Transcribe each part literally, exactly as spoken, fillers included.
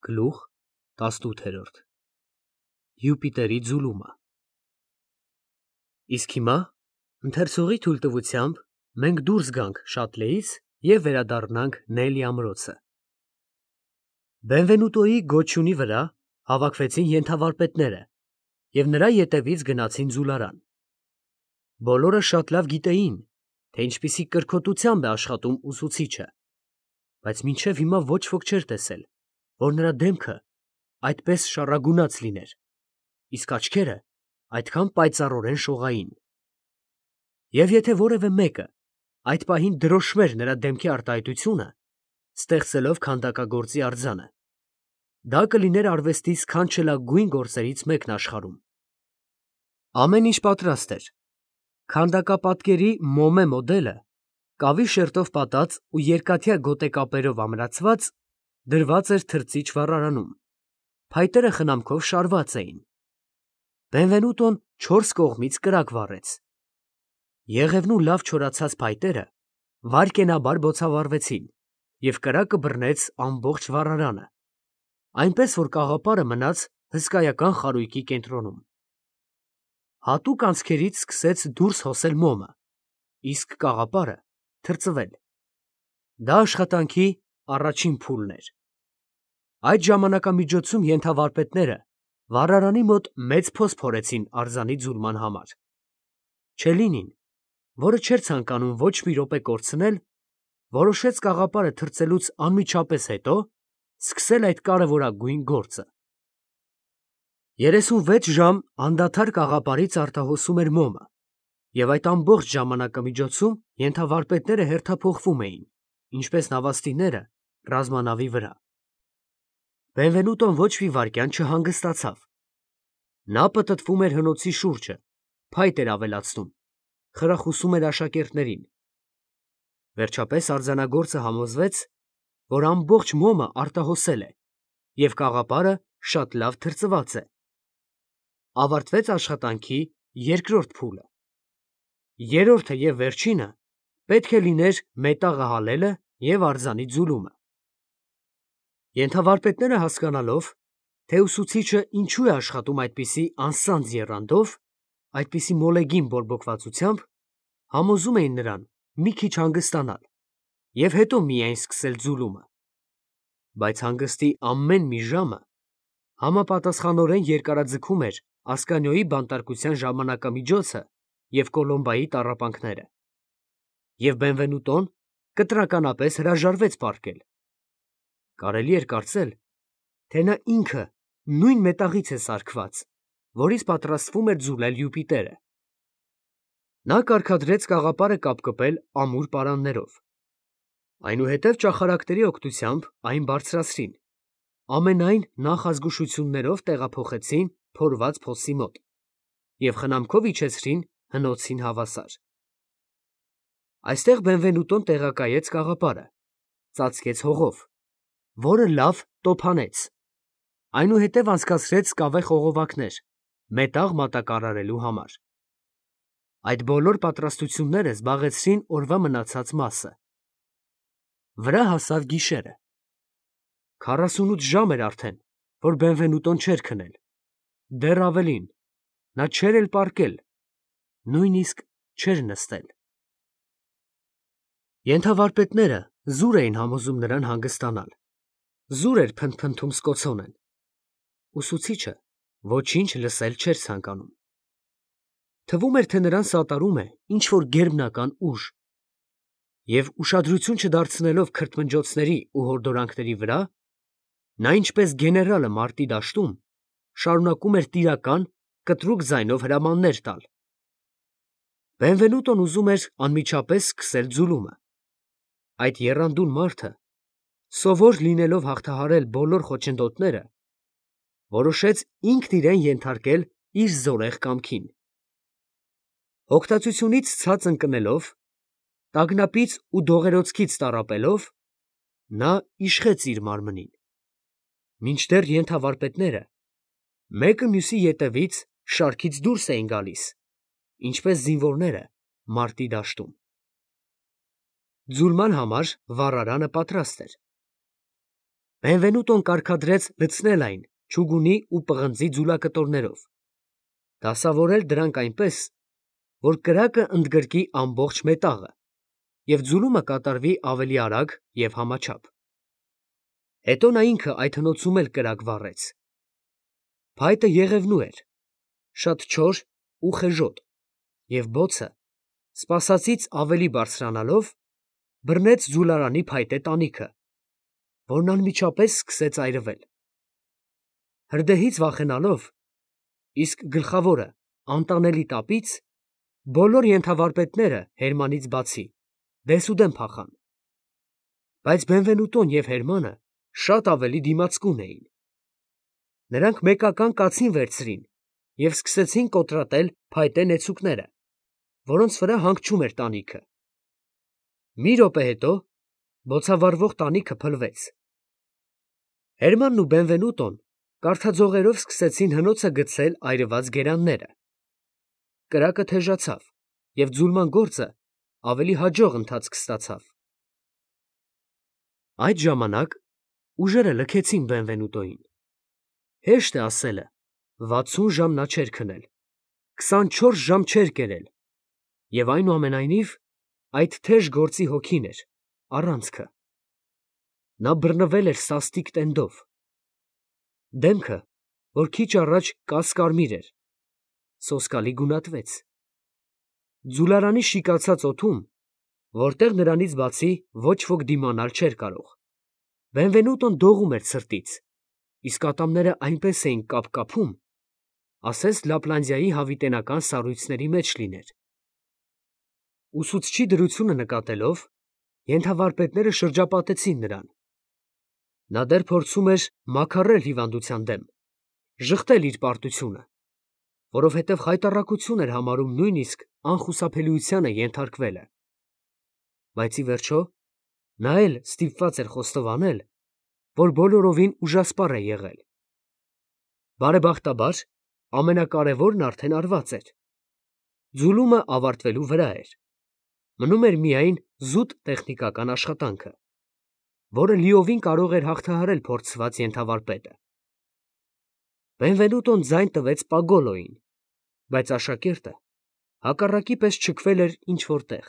Գլուխ տասնութ Յուպիտերի ձուլումը։ Իսկ հիմա, ընթերցողի թույլտվությամբ, մենք դուրս գանք Շատլեից և վերադառնանք Նելի ամրոցը։ Բենվենուտոյի գոչյունի վրա հավաքվեցին ենթավարպետները և նրա ետևից գնացին ձուլարան։ Բոլորը շատ լավ գիտեին, թե ինչպիսի կրքոտությամբ է աշխատում ուսուցիչը, բայց մինչև հիմա ոչ ոք չէր տեսել, որ նրա դեմքը այդպես շառագունած լիներ, իսկ աչքերը այդքան պայծառորեն շողային։ Եվ եթե որևէ մեկը այդ պահին դրոշմեր նրա դեմքի արտահայտությունը, ստեղծելով քանդակագործի արձանը, դա կլիներ արվեստի սքանչելագույն գործերից մեկն աշխարհում։ Ամեն ինչ պատրաստ էր։ Քանդակապատկերի մոմե մոդելը, կավի շերտով պատած ու երկաթյա գոտեկապերով ամրացված, դրված էր թրծիչ վառարանում, փայտերը խնամքով շարված էին։ Բենվենուտոն չորս կողմից կրակ վառեց։ Եղևնու լավ չորացած փայտերը վայրկենաբար բոցավառվեցին, և կրակը բռնեց ամբողջ վառարանը, այնպես որ կաղապարը մնաց հսկայական խարույկի կենտրոնում։ Հատուկ անցքերից սկսեց դուրս հոսել մոմը, իսկ կաղապարը թրծվել։ Դա աշխատանքի առաջին փուլն էր։ Այդ ժամանակամիջոցում ենթավարպետները վառարանի մոտ մեծ փոս փորեցին արձանի ձուլման համար։ Չելինին, որը չէր ցանկանում ոչ մի րոպե կորցնել, որոշեց կաղապարը թրծելուց անմիջապես հետո սկսել այդ կարևորագույն գործը։ Երեսունվեց ժամ անդադար կաղապարից արտահոսում էր մոմը, և այդ ամբողջ ժամանակամիջոցում ենթավարպետները հերթափոխվում էին, ինչպես նավաստիները ռազմանավի վրա։ Բենվենուտոն ոչ մի վայրկյան չհանգստացավ։ Նա պտտվում էր հնոցի շուրջը, փայտ էր ավելացնում, խրախուսում էր աշակերտներին։ Վերջապես արձանագործը համոզվեց, որ ամբողջ մոմը արտահոսել է, և կաղապարը շատ լավ թրծված է։ Ավարտվեց աշխատանքի երկրորդ փուլը։ Երրորդը և վերջինը պետք է լիներ մետաղը հալելը և արձանի ձուլումը։ Ենթավարպետները հասկանալով, թե ուսուցիչը ինչու է աշխատում այդպիսի անսանձ եռանդով, այդպիսի մոլեգին բորբոքվածությամբ, համոզում էին նրան մի քիչ հանգստանալ և հետո միայն սկսել ձուլումը։ Բայց հանգստի ամեն մի ժամը համապատասխանորեն երկարաձգում էր Ասկանիոյի բանտարկության ժամանակամիջոցը և Կոլոմբայի տառապանքները։ Եվ Բենվենուտոն կտրականապես հրաժարվեց պառկել։ Կարելի էր կարծել, թե նա ինքը նույն մետաղից է սարքված, որից պատրաստվում էր ձուլել Յուպիտերը։ Նա կարգադրեց կաղապարը կապկպել ամուր պարաններով։ Այնուհետև ճախարակների օգնությամբ այն բարձրացրին, ամենայն նախազգուշություններով տեղափոխեցին փորված փոսի մոտ և խնամքով իջեցրին հնոցին հավասար։ Այստեղ Բենվենուտոն տեղակայեց կաղապարը, ծածկեց հողով, որը լավ տոփանեց, այնուհետև անցկացրեց կավե խողովակներ մետաղ մատակարարելու համար։ Այդ բոլոր պատրաստությունները զբաղեցրին օրվա մնացած մասը։ Վրա հասավ գիշերը։ Քառասունութ ժամ էր արդեն, որ Բենվենուտոն չէր քնել, դեռ ավելին, նա չէր էլ պառկել, նույնիսկ չէր նստել։ Ենթավարպետները զուր էին համոզում նրան հանգստանալ, զուր էր փնթփնթում սկոցոնեն։ Ուսուցիչը ոչինչ լսել չէր ցանկանում։ Թվում էր, թե նրան սատարում է ինչ֊որ գերբնական ուժ, և ուշադրություն չդարձնելով քրթմնջոցների ու հորդորանքների վրա, նա ինչպես գեներալը մարտի դաշտում շարունակում էր տիրական, կտրուկ ձայնով հրամաններ տալ։ Բենվենուտոն ուզում էր անմիջապես սկսել ձուլումը։ Այդ եռանդուն մարդը, սովոր լինելով հաղթահարել բոլոր խոչընդոտները, որոշեց ինքն իրեն ենթարկել իր զորեղ կամքին։ Հոգտածությունից ցած ընկնելով, տագնապից ու դողերոցքից տառապելով, նա իշխեց իր մարմնին, մինչդեռ ենթավարպետները մեկը մյուսի ետևից շարքից դուրս էին գալիս, ինչպես զինվորները մարտի դաշտում։ Ձուլման համար վառարանը պատրաստ էր։ Բենվենուտոն կարգադրեց լցնել այն չուգունի ու պղնձի ձուլակտորներով, դասավորել դրանք այնպես, որ կրակը ընդգրկի ամբողջ մետաղը և ձուլումը կատարվի ավելի արագ և համաչափ։ Հետո նա ինքը այդ հնոցում էլ կրակ վառեց։ Փայտը եղևնու էր, շատ չոր ու խեժոտ, և բոցը, սպասածից ավելի բարձրանալով, բռնեց ձուլարանի փայտե տանիքը, որն անմիջապես սկսեց այրվել։ Հրդեհից վախենալով, իսկ գլխավորը անտանելի տապից, բոլոր ենթավարպետները Հերմանից բացի դեսուդեն փախան, բայց Բենվենուտոն և Հերմանը շատ ավելի դիմացկուն էին։ Նրանք մեկական կացին վերցրին և սկսեցին կոտրատել փայտե նեցուկները, որոնց վրա հանգչում էր տանիքը։ Մի րոպե հետո բոցավառվող տանիքը փլվեց։ Հերմանն ու Բենվենուտոն կարդաձողերով սկսեցին հնոցը գցել այրված գերանները։ Կրակը թեժացավ, և ձուլման գործը ավելի հաջող ընթացք ստացավ։ Այդ ժամանակ ուժերը լքեցին Բենվենուտոյին։ Հեշտ է ասելը, վաթսուն ժամ նա չէր քնել, քսանչորս ժամ չէր կերել, և այնուամենայնիվ այդ թեժ գործի հոգին էր, առանցքը։ Նա բռնվել էր սաստիկ տենդով։ Դեմքը, որ քիչ առաջ կաս֊կարմիր էր, սոսկալի գունատվեց։ Ձուլարանի շիկացած օդում, որտեղ նրանից բացի ոչ ոք դիմանալ չէր կարող, Բենվենուտոն դողում էր ցրտից, իսկ ատամները այնպես էին կապկապում, ասես Լապլանդիայի հավիտենական սառույցների մեջ լիներ։ Ուսուցչի դրությունը նկատելով, ենթավարպետները շրջապատեցին նրան։ Նա դեռ փորձում էր մաքարել հիվանդության դեմ, ժխտել իր պարտությունը, որովհետև խայտառակություն էր համարում նույնիսկ անխուսափելիությանը ենթարկվելը։ Բայց ի վերջո նա էլ ստիպված էր խոստովանել, որ բոլորովին ուժասպառ է եղել։ Բարեբախտաբար, ամենակարևորն արդեն արված էր։ Ձուլումը ավարտվելու վրա էր։ Մնում էր միայն զուտ տեխնիկական աշխատանքը, որը լիովին կարող էր հաղթահարել փորձված ենթավարպետը։ Բենվենուտոն ձայն տվեց Պագոլոյին, բայց աշակերտը հակառակի պես չքվել էր ինչ֊որ տեղ։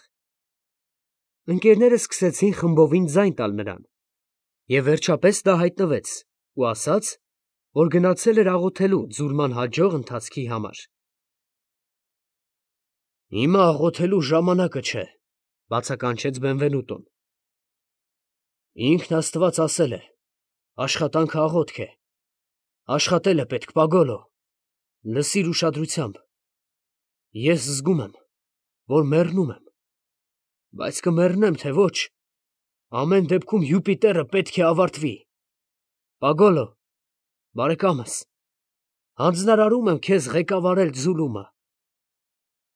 Ընկերները սկսեցին խմբովին ձայն տալ նրան, և վերջապես դա հայտնվեց ու ասաց, որ գնացել էր աղոթելու ձուլման հաջող ընթացքի համար։ «Հիմա աղոթելու ժամանակը չէ», ֊ բացականչեց Բենվենուտոն։ «Ինքն աստված ասել է. աշխատանքը աղոթք է, աշխատել է պետք, Պագոլո, լսիր ուշադրությամբ։ Ես զգում եմ, որ մեռնում եմ, բայց կմեռնեմ, թե ոչ, ամեն դեպքում Յուպիտերը պետք է ավարտվի։ Պագոլո, բարեկամս, հանձնարարում եմ քեզ ղեկավարել ձուլումը։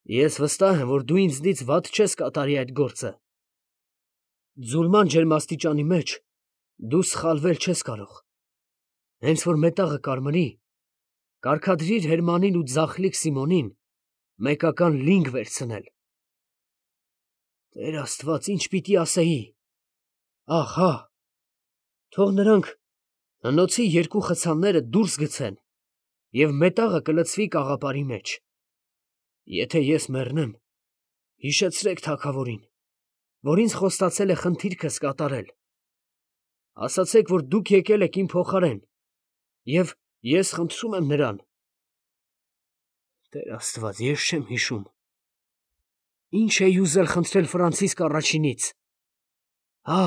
Ես վստահ եմ, որ դու ինձնից վատ չես կատարի այդ գործը։ Ձուլման ջերմաստիճանի մեջ դու սխալվել չես կարող։ Հենց որ մետաղը կարմրի, կարգադրիր Հերմանին ու ձախլիկ Սիմոնին մեկական լինգ վերցնել։ Տեր Աստված, ինչ պիտի ասեի։ Ահ, հա, թող նրանք հնոցի երկու խցանները դուրս գցեն, և մետաղը կլցվի կաղապարի մեջ։ Եթե ես մեռնեմ, հիշեցրեք թագավորին, որ ինձ խոստացել է խնդիրքս կատարել։ Ասացեք, որ դուք եկել եք իմ փոխարեն, և ես խնդրում եմ նրան։ Տեր Աստված, ես չեմ հիշում։ Ի՞նչ էի ուզել խնդրել Ֆրանցիսկ առաջինից։ Հա,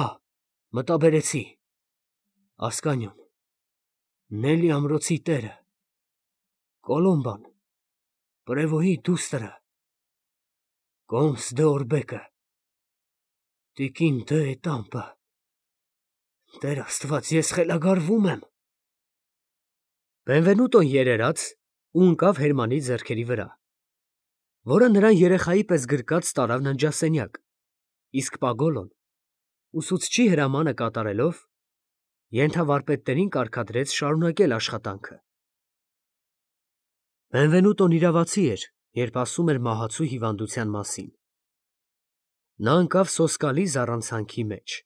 մտաբերեցի։ Ասկանյոն, Նելի ամրոցի տերը, Կոլոմբան, Պրևոյի դուստրը, Կոմս դը Օրբեկը, տիկին դը Էտամպը։ Տեր Աստված, ես խելագարվում եմ։ Բենվենուտոն երերաց ու ընկավ Հերմանի ձեռքերի վրա, որը նրան երեխայի պես գրկած տարավ ննջասենյակ, իսկ Պագոլոն, ուսուցչի հրամանը կատարելով, ենթավարպետներին կարգադրեց շարունակել աշխատանքը։ Բենվենուտոն իրավացի էր, երբ ասում էր մահացու հիվանդության մասին։ Նա ընկավ սոսկալի զառանցանքի մեջ,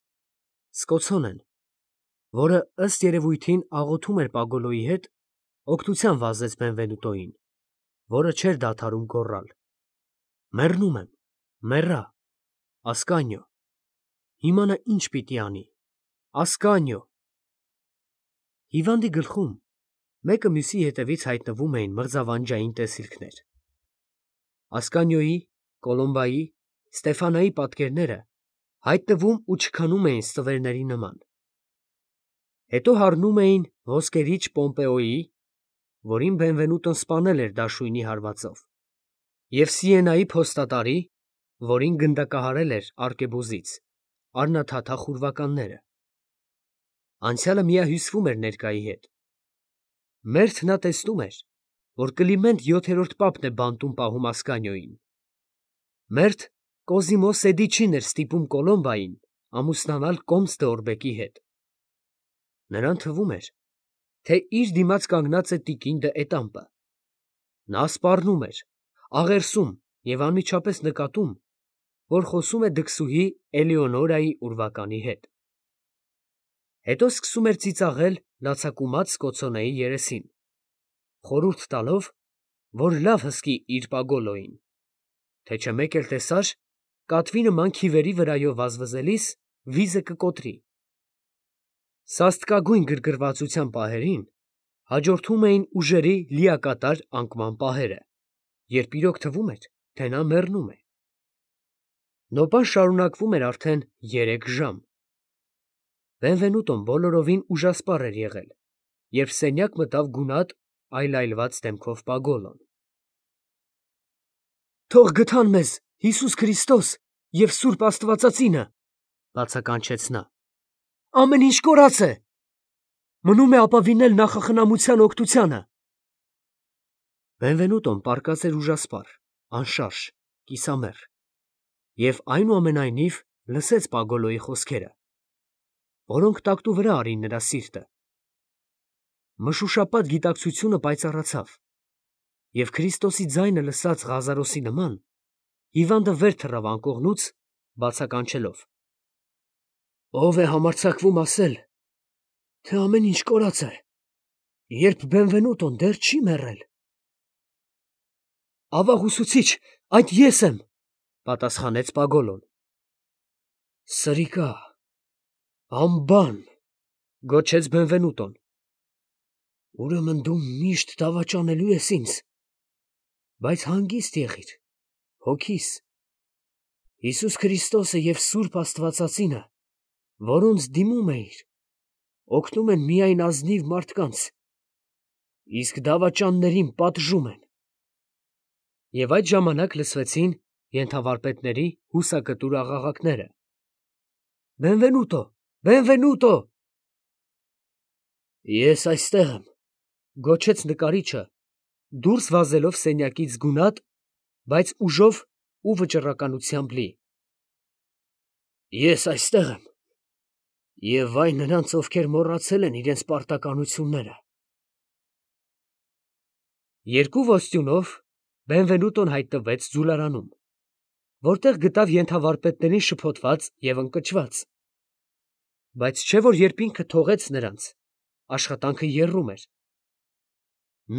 սկոցոն են, որը ըստ երևույթին աղոթում էր Պագոլոյի հետ, օգնության վազեց Բենվենուտոյին, որը չէր դադարում գոռալ. «Մեռնում եմ, մեռա, Ասկանիո, հիմա նա ինչ պիտի անի, Ասկանիո»։ Հիվանդի գլխում մեկը մյուսի հետևից հայտնվում էին մրձավանջային տեսիլքներ։ Ասկանիոյի, Կոլոմբայի, Ստեֆանայի պատկերները հայտնվում ու չքանում էին ստվերների նման։ Հետո հառնում էին ոսկերիչ Պոմպեոյի, որին Բենվենուտոն սպանել էր դաշույնի հարվածով, և Սիենայի փոստատարի, որին գնդակահարել էր արկեբոզից, առնաթաթախ ուրվականները։ Անցյալը միահյուսվում էր ներկայի հետ։ Մերթ նա տեսնում էր, որ Կլիմենտ յոթերորդ պապն է բանտում պահում Ասկանիոյին։ Մերթ Կոզիմո Սեդիչին էր ստիպում Կոլոմբային ամուսնանալ Կոմս դե Օրբեկի հետ։ Նրան թվում էր, թե իր դիմաց կանգնած է տիկին դը Էտամպը։ Նա սպառնում էր, աղերսում և անմիջապես նկատում, որ խոսում է դքսուհի Էլեոնորայի ուրվականի հետ։ Հետո սկսում էր ծիծաղել լացակումած Սկոցոնեի երեսին, խորհուրդ տալով, որ լավ հսկի իր Պագոլոյին, թե չէ մեկ էլ տեսար, կատվի նման քիվերի վրայով վազվզելիս վիզը կկոտրի։ Սաստկագույն գրգռվածության պահերին հաջորդում էին ուժերի լիակատար անկման պահերը, երբ իրոք թվում էր, թե նա մեռնում է։ Նոպան շարունակվում էր արդեն երեք ժամ։ Բենվենուտոն բոլորովին ուժասպառ էր եղել, երբ սենյակ մտավ գունատ, այլայլված դեմքով Պագոլոն։ «Թող գթան մեզ Հիսուս Քրիստոս և սուրբ աստվածածինը», բացականչեց նա։ «Ամեն ինչ կորած է, մնում է ապավինել նախախնամության օգնությանը»։ Բենվենուտոն պառկած էր ուժասպառ, անշարժ, կիսամեռ և այնուամենայնիվ լսեց Պագոլոյի խոսքերը, որոնք տակտուվրա արին նրա սիրտը։ Մշուշապատ գիտակցությունը պայծառացավ, և Քրիստոսի ձայնը լսած Ղազարոսի նման, հիվանդը վեր թռավ անկողնուց, բացականչելով. «Ո՞վ է համարձակվում ասել, թե ամեն ինչ կորած է, երբ Բենվենուտոն դեռ չի մեռել»։ «Ավաղ ուսուցիչ, այդ ես եմ», պատասխանեց Պագոլոն։ «Սրիկա, ամբան», գոչեց Բենվենուտոն։ «Ուրեմն դու միշտ դավաճանելու ես ինձ, բայց հանգիստ եղիր հոգիս։ Հիսուս Քրիստոսը և սուրբ աստվածածինը, որոնց դիմում էիր, օգնում են միայն ազնիվ մարդկանց, իսկ դավաճաններին պատժում են»։ Եվ այդ ժամանակ լսվեցին ենթավարպետների հուսակտուր աղաղակները. «Բենվենուտո, Բենվենուտո»։ «Ես այստեղ եմ», գոչեց նկարիչը, դուրս վազելով սենյակից գունատ, բայց ուժով ու վճռականությամբ լի։ «Ես այստեղ եմ, և վայ նրանց, ովքեր մոռացել են իրենց պարտականությունները»։ Երկու ոստյունով Բենվենուտոն հայտնվեց ձուլարանում, որտեղ գտավ ենթավարպետներին շփոթված և ընկճված։ Բայց չէ որ երբ ինքը թողեց նրանց, աշխատանքը եռում էր։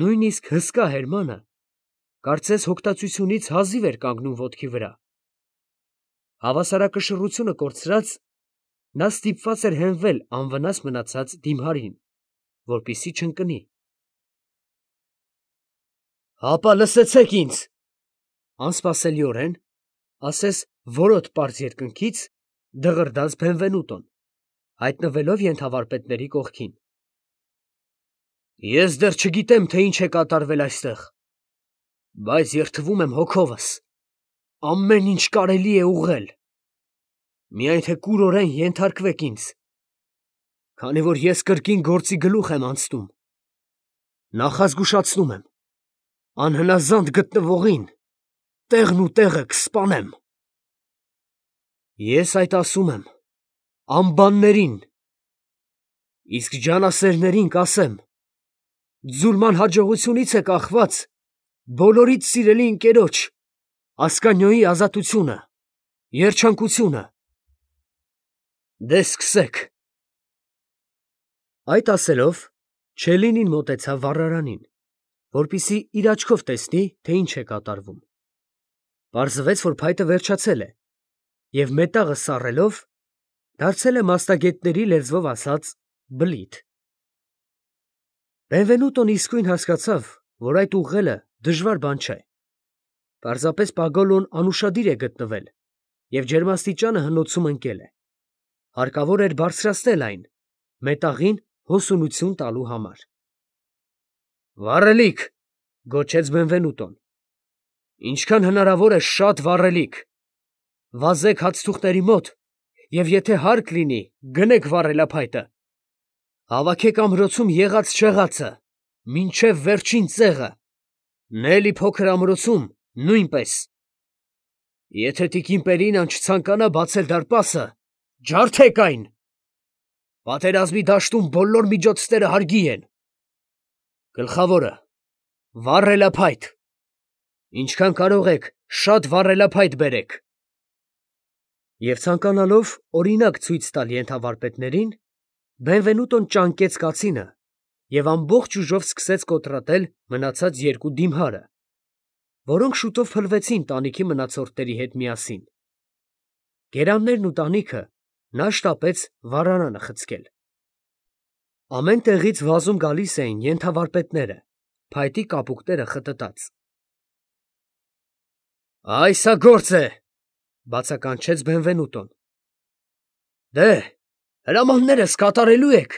Նույնիսկ հսկա Հերմանը, կարծես հոգտացությունից հազիվ էր կանգնում ոտքի վրա։ Հավասարակշռությունը կորցրած, նա ստիպված էր հենվել անվնաս մնացած դիմարին, որպեսզի չընկնի։ «Հապա լսեցեք ինձ», անսպասելիորեն, ասես որոտ պարզ երկնքից, դղրդաց Բենվենուտոն, հայտնվելով ենթավարպետների կողքին։ «Ես դեռ չգիտեմ, թե ինչ է կատարվել այստեղ, բայց երդվում եմ հոգովս, ամեն ինչ կարելի է ուղղել, միայն թե կուրորեն ենթարկվեք ինձ, քանի որ ես կրկին գործի գլուխ եմ անցնում։ Նախազգուշացնում եմ, անհնազանդ գտնվողին տեղն ու տեղը կսպանեմ։ Ես այդ ասում եմ ամբաններին, իսկ ջանասերներին կասեմ. ձուլման հաջողությունից է կախված բոլորիդ սիրելի ընկերոջ Ասկանիոյի ազատությունը, երջանկությունը։ Դե սկսեք»։ Այդ ասելով, Չելինին մոտեցավ վառարանին, որպեսզի իր աչքով տեսնի, թե ինչ է կատարվում. պարզվեց, որ փայտը վերջացել է, և մետաղը սառելով, դարձել է մասնագետների լեզվով ասած բլիթ։ Բենվենուտոն իսկույն հասկացավ, որ այդ ուղղելը դժվար բան չէ. պարզապես Պագոլոն անուշադիր է գտնվել և ջերմաստիճանը հնոցում ընկել է. հարկավոր էր բարձրացնել այն, մետաղին հոսունություն տալու համար։ «Վառելիք», գոչեց Բենվենուտոն, «ինչքան հնարավոր է շատ վառելիք, վազեք հացթուղթերի մոտ և եթե հարկ լինի, գնեք վառելափայտը, հավաքեք ամրոցում եղած֊չեղածը, մինչև վերջին ծեղը, Նելի փոքր ամրոցում նույնպես։ Եթե տիկին Պերինան չցանկանա բացել դարպասը, ջարդեք այն։ Պատերազմի դաշտում բոլոր միջոցները հարգի են։ Գլխավորը, վառելափայտ, ինչքան կարող եք, շատ վառելափայտ բերեք»։ Եվ ցանկանալով օրինակ ցույց տալ ենթավարպետներին, Բենվենուտոն ճանկեց կացինը և ամբողջ ուժով սկսեց կոտրատել մնացած երկու դիմհարը, որոնք շուտով փլվեցին տանիքի մնացորդների հետ միասին։ Գերաններն ու տանիքը նա շտապեց վառարանը խցկել։ Ամեն տեղից վազում գալիս էին ենթավարպետները, փայտի կապուկները խտտած։ «Այս ա գործ է», բացականչեց Բենվենուտոն։ «Դե, հրամաններս կատարելու եք»։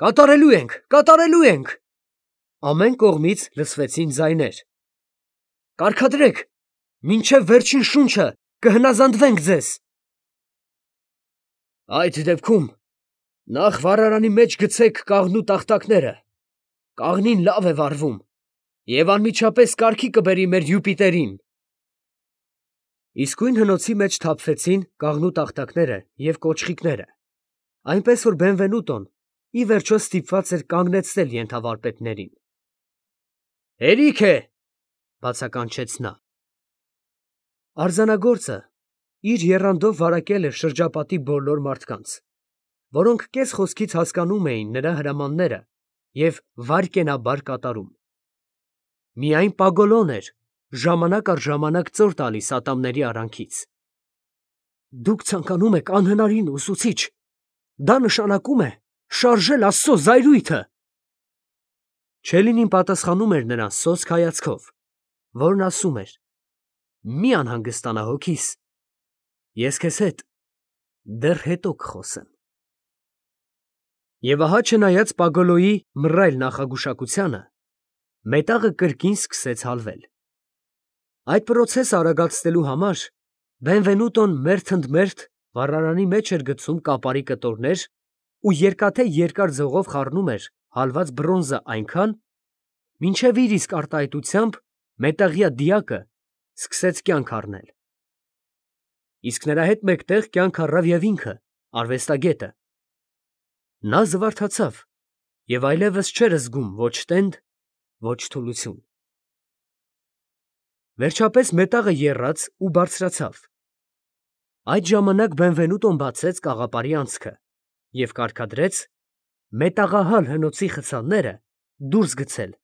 «Կատարելու ենք, կատարելու ենք»։ Ամեն կողմից լսվեցին ձայներ։ «Կարգադրեք, մինչև վերջին շունչը կհնազանդվենք ձեզ»։ «Այդ դեպքում նախ վառարանի մեջ գցեք կաղնու տախտակները, կաղնին լավ է վառվում և անմիջապես կարգի կբերի մեր Յուպիտերին»։ Իսկույն հնոցի մեջ թափվեցին կաղնու տախտակները և կոճղիկները, այնպես որ Բենվենուտոն ի վերջո ստիպված էր կանգնեցնել ենթավարպետներին։ «Հերիք է», բացականչեց նա։ Արձանագործը իր եռանդով վարակել էր շրջապատի բոլոր մարդկանց, որոնք կես խոսքից հասկանում էին նրա հրամանները և վայրկենաբար կատարում։ Միայն Պագոլոն էր ժամանակ առ ժամանակ ծոր տալիս ատամների արանքից։ «Դուք ցանկանում եք անհնարինը, ուսուցիչ, դա նշանակում է շարժել Աստծո զայրույթը»։ Չելինին պատասխանում էր նրան սոսկ հայացքով, որն ասում էր. «Մի անհանգստանա հոգիս, ես քեզ հետ դեռ հետո կխոսեմ»։ Եվ ահա չնայած Պագոլոյի մռայլ նախագուշակությանը, մետաղը կրկին սկսեց հալվել։ Այդ պրոցեսը արագացնելու համար Բենվենուտոն մերթ ընդ մերթ վառարանի մեջ էր գցում կապարի կտորներ ու երկաթե երկար ձողով խառնում էր հալված բրոնզը այնքան, մինչև իր իսկ արտահայտությամբ մետաղյա դիակը սկսեց կյանք առնել։ Իսկ նրա հետ մեկտեղ կյանք առավ և ինքը, արվեստագետը։ Նա զվարթացավ և այլևս չէր զգում ոչ տենդ, ոչ թուլություն։ Վերջապես մետաղը եռաց ու բարձրացավ։ Այդ ժամանակ Բենվենուտոն բացեց կաղապարի անցքը և կարգադրեց մետաղահալ հնոցի խցանները դուրս գցել,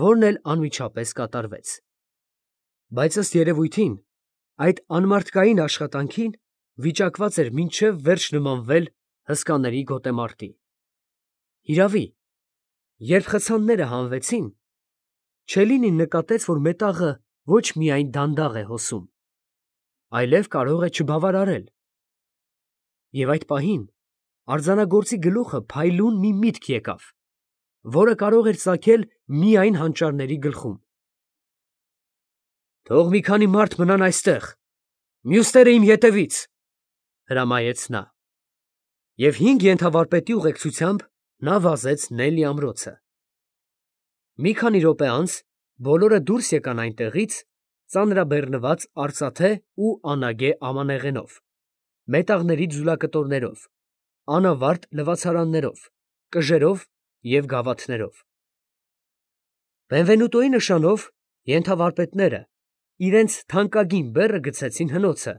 որն էլ անմիջապես կատարվեց։ Բայց ըստ երևույթին, այդ անմարդկային աշխատանքին վիճակված էր մինչև վերջ նմանվել հսկաների գոտեմարտի։ Հիրավի, երբ խցանները հանվեցին, Չելինին նկատեց, որ մետաղը ոչ միայն դանդաղ է հոսում, այլև կարող է չբավարարել։ Եվ այդ պահին արձանագործի գլուխը փայլուն մի միտք եկավ, որը կարող էր ծագել միայն հանճարների գլխում։ «Թող մի քանի մարդ մնան այստեղ, մյուսները իմ ետևից», հրամայեց նա։ Եվ հինգ ենթավարպետի ուղեկցությամբ նա վազեց Նելի ամրոցը։ Մի քանի րոպե անց բոլորը դուրս եկան այնտեղից, ծանրաբեռնված արծաթե ու անագե ամանեղենով, մետաղների ձուլակտորներով, անավարտ լվացարաններով, կժերով և գավաթներով։ Բենվենուտոյի նշանով ենթավարպետները իրենց թանկագին բեռը գցեցին հնոցը,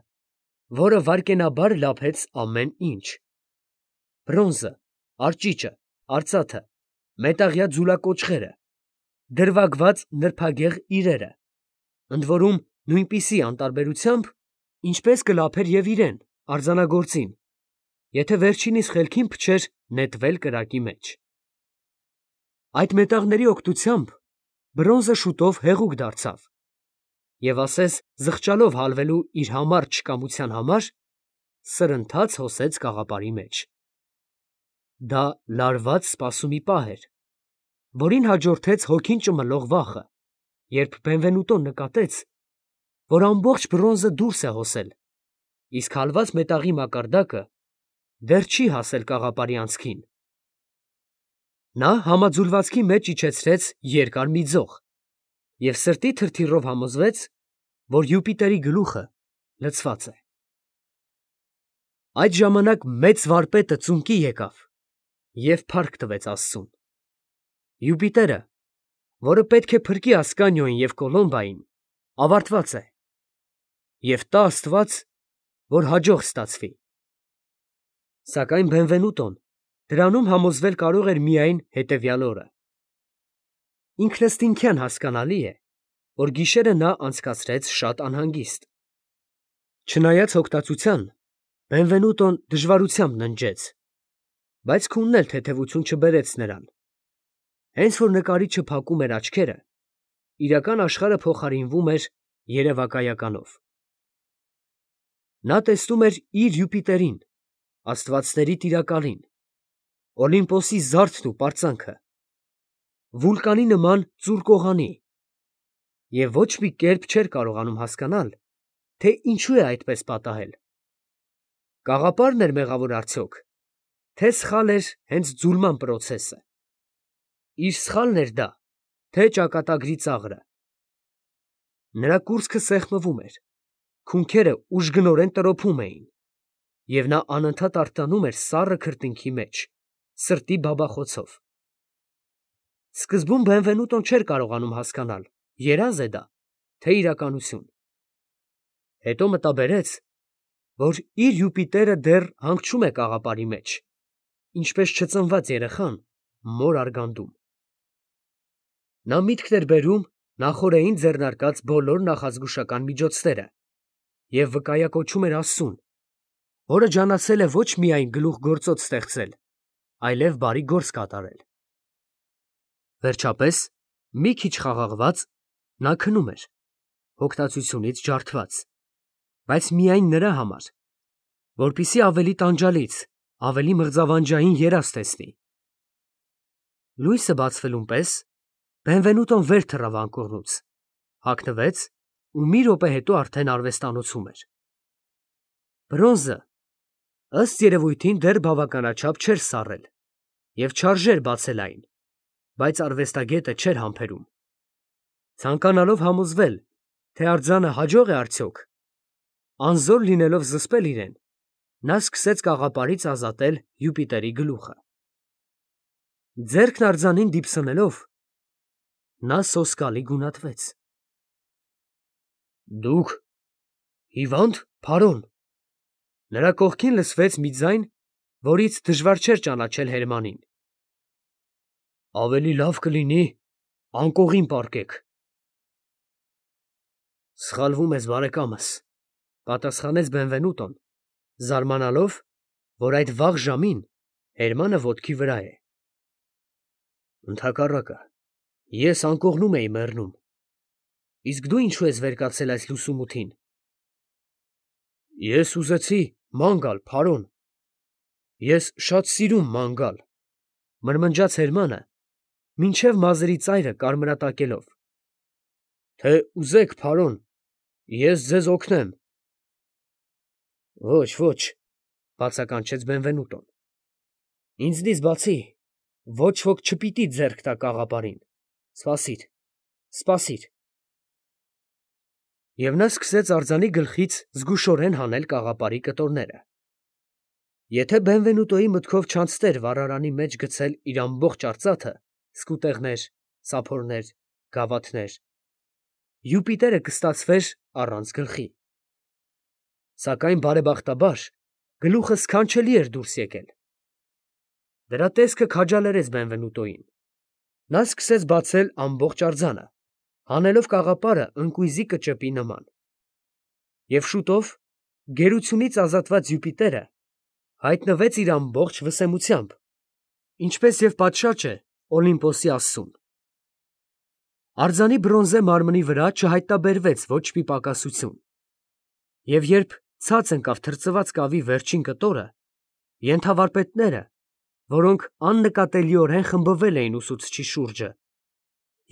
որը վայրկենաբար լափեց ամեն ինչ. բրոնզը, արճիճը, արծաթը, մետաղյա ձուլակոճղերը, դրվագված նրբագեղ իրերը, ընդ որում նույնպիսի անտարբերությամբ, ինչպես կլափեր և իրեն, արձանագործին, եթե վերջինիս խելքին փչեր նետվել կրակի մեջ։ Այդ մետաղների օգնությամբ բրոնզը շուտով հեղուկ դարձավ և ասես զղջալով հալվելու իր համառ չկամության համար, սրընթաց հոսեց կաղապարի մեջ։ Դա լարված սպասումի պահ էր, որին հաջորդեց հոգին ճմլող վախը, երբ Բենվենուտոն նկատեց, որ ամբողջ բրոնզը դուրս է հոսել, իսկ հալված մետաղի մակարդակը դեռ չի հասել կաղապարի անցքին։ Նա համաձուլվածքի մեջ իջեցրեց երկար մի ձող և սրտի թրթիռով համոզվեց, որ Յուպիտերի գլուխը լցված է։ Այդ ժամանակ մեծ վարպետը ծունկի եկավ և փառք տվեց աստծուն։ Յուպիտերը, որը պետք է փրկի Ասկանիոյին և Կոլոմբային, ավարտված է, և տա աստված, որ հաջող ստացվի։ Սակայն Բենվենուտոն դրանում համոզվել կարող էր միայն հետևյալ օրը։ Ինքնըստինքյան հասկանալի է, որ գիշերը նա անցկացրեց շատ անհանգիստ։ Չնայած հոգտացության, Բենվենուտոն դժվարությամբ ննջեց, բայց քունն էլ թեթևություն չբերեց նրան։ Հենց որ նկարիչը փակում էր աչքերը, իրական աշխարհը փոխարինվում էր երևակայականով։ Նա տեսնում էր իր Յուպիտերին, աստվածների տիրակալին, Օլիմպոսի զարդն ու պարծանքը, վուլկանի նման ծուռ կողանի, և ոչ մի կերպ չէր կարողանում հասկանալ, թե ինչու է այդպես պատահել. կաղապարն էր մեղավոր արդյոք, թե սխալ էր հենց ձուլման պրոցեսը։ Իր սխալն էր դա, թե ճակատագրի ծաղրը։ Նրա կուրծքը սեղմվում էր, քունքերը ուժգնորեն տրոփում էին, և նա անընդհատ արթնանում էր սառը քրտինքի մեջ, սրտի բաբախոցով։ Սկզբում Բենվենուտոն չէր կարողանում հասկանալ, երազ է դա, թե իրականություն։ Հետո մտաբերեց, որ իր Յուպիտերը դեռ հանգչում է կաղապարի մեջ, ինչպես չծնված երեխան մոր արգանդում։ Նա միտքն էր բերում նախօրեին ձեռնարկած բոլոր նախազգուշական միջոցները և վկայակոչում էր աստծուն, որը ջանացել է ոչ միայն գլուխգործոց ստեղծել, այլև բարի գործ կատարել։ Վերջապես, մի քիչ խաղաղված, նա քնում էր, հոգտացությունից ջարդված, բայց միայն նրա համար, որպեսզի ավելի տանջալից, ավելի մղձավանջային երազ տեսնի։ Լույսը բացվելուն պես Բենվենուտոն վեր թռավ անկողնուց, հագնվեց ու մի րոպե հետո արդեն արվեստանոցում էր։ Բրոնզը, ըստ երևույթին, դեռ բավականաչափ չէր սառել և չարժեր բացել այն, բայց արվեստագետը չէր համբերում։ Ցանկանալով համոզվել, թե արձանը հաջող է արդյոք, անզոր լինելով զսպել իրեն, նա սկսեց կաղապարից ազատել Յուպիտերի գլուխը։ Ձեռքն արձանին դիպսնելով, նա սոսկալի գունատվեց։ Դուք հիվա՞նդ, պարոն։ Նրա կողքին լսվեց մի ձայն, որից դժվար չէր ճանաչել Հերմանին։ Ավելի լավ կլինի անկողին պառկեք։ Սխալվում ես, բարեկամս, պատասխանեց Բենվենուտոն, զարմանալով, որ այդ վաղ ժամին Հերմանը ոտքի վրա է։ Ընդհակառակը, ես անկողնում էի մեռնում, իսկ դու ինչու ես վեր կացել այս լուսումութին։ Ես ուզեցի ման գալ, պարոն, ես շատ սիրում ման գալ, մրմնջաց Հերմանը, մինչև մազերի ծայրը կարմրատակելով։ Թե ուզեք, պարոն, ես ձեզ օգնեմ։ Ոչ, ոչ, բացականչեց Բենվենուտոն, ինձնից բացի ոչ ոք չպիտի ձեռք տա կաղապարին, սպասիր, սպասիր։ Եվ նա սկսեց արձանի գլխից զգուշորեն հանել կաղապարի կտորները։ Եթե Բենվենուտոյի մտքով չանցներ վառարանի մեջ գցել իր ամբողջ արծաթը, սկուտեղներ, սափորներ, գավաթներ, Յուպիտերը կստացվեր առանց գլխի։ Սակայն բարեբախտաբար գլուխը սքանչելի էր դուրս եկել։ Դրա տեսքը քաջալերեց Բենվենուտոին։ Նա սկսեց բացել ամբողջ արձանը, հանելով կաղապարը ընկույզի կճեպի նման։ Եվ շուտով գերությունից ազատված Յուպիտերը հայտնվեց իր ամբողջ վսեմությամբ, ինչպես և պատշաճ է Օլիմպոսի աստծուն։ Արձանի բրոնզե մարմնի վրա չհայտնաբերվեց ոչ մի պակասություն, և երբ ցած ընկավ թրծված կավի վերջին կտորը, ենթավարպետները, որոնք աննկատելիորեն խմբվել էին ուսուցչի շուրջը,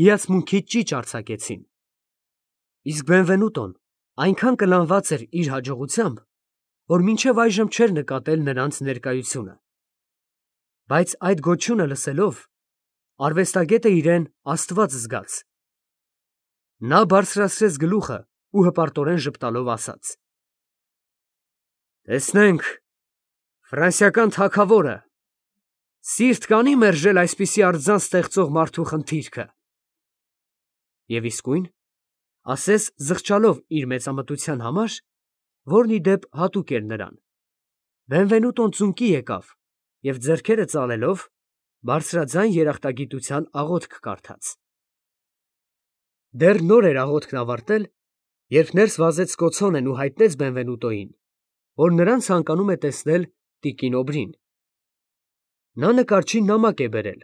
հիացմունքից ճիչ արձակեցին, իսկ Բենվենուտոն այնքան կլանված էր իր հաջողությամբ, որ մինչև այժմ չէր նկատել նրանց ներկայությունը, բայց այդ գոչյունը լսելով, արվեստագետը իրեն աստված զգաց. նա բարձրացրեց գլուխը ու հպարտորեն ժպտալով ասաց. «Տեսնենք, ֆրանսիական թագավորը սիրտ կանի մերժել այսպիսի արձան ստեղծող մարդու խնդիրքը»։ Եվ իսկույն, ասես զղջալով իր մեծամտության համար, որն ի դեպ հատուկ էր նրան, Բենվենուտոն ծունկի եկավ և ձեռքերը ծալելով, բարձրաձայն երախտագիտության աղոթք կարդաց։ Դեռ նոր էր աղոթքն ավարտել, երբ ներս վազեց Կոցոնեն ու հայտնեց Բենվենուտոյին, որ նրան ցանկանում է տեսնել տիկին Օբրին։ Նա նկարչին նամակ է բերել,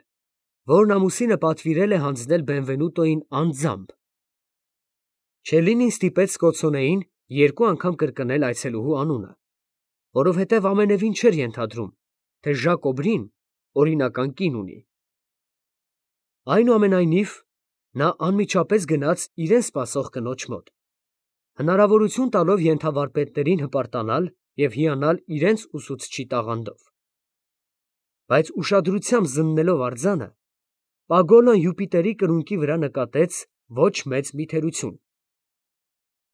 որն ամուսինը պատվիրել է հանձնել Բենվենուտոյին անձամբ։ Չելլինին ստիպեց Կոցոնեին երկու անգամ կրկնել այցելուհու անունը, որովհետև ամենևին չէր ենթադրում, թե Ժակ Օբրին օրինական կին ունի։ Այնուամենայնիվ, նա անմիջապես գնաց իրեն սպասող կնոջ մոտ, հնարավորություն տալով ենթավարպետներին հպարտանալ և հիանալ իրենց ուսուցչի տաղանդով։ Բայց ուշադրությամբ զննելով արձանը, Պագոլոն Յուպիտերի կրունկի վրա նկատեց ոչ մեծ մի թերություն.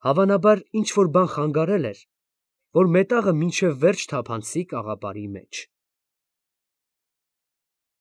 հավանաբար ինչ֊որ բան խանգարել էր, որ մետաղը մինչև վերջ թափանցի կաղապարի մեջ։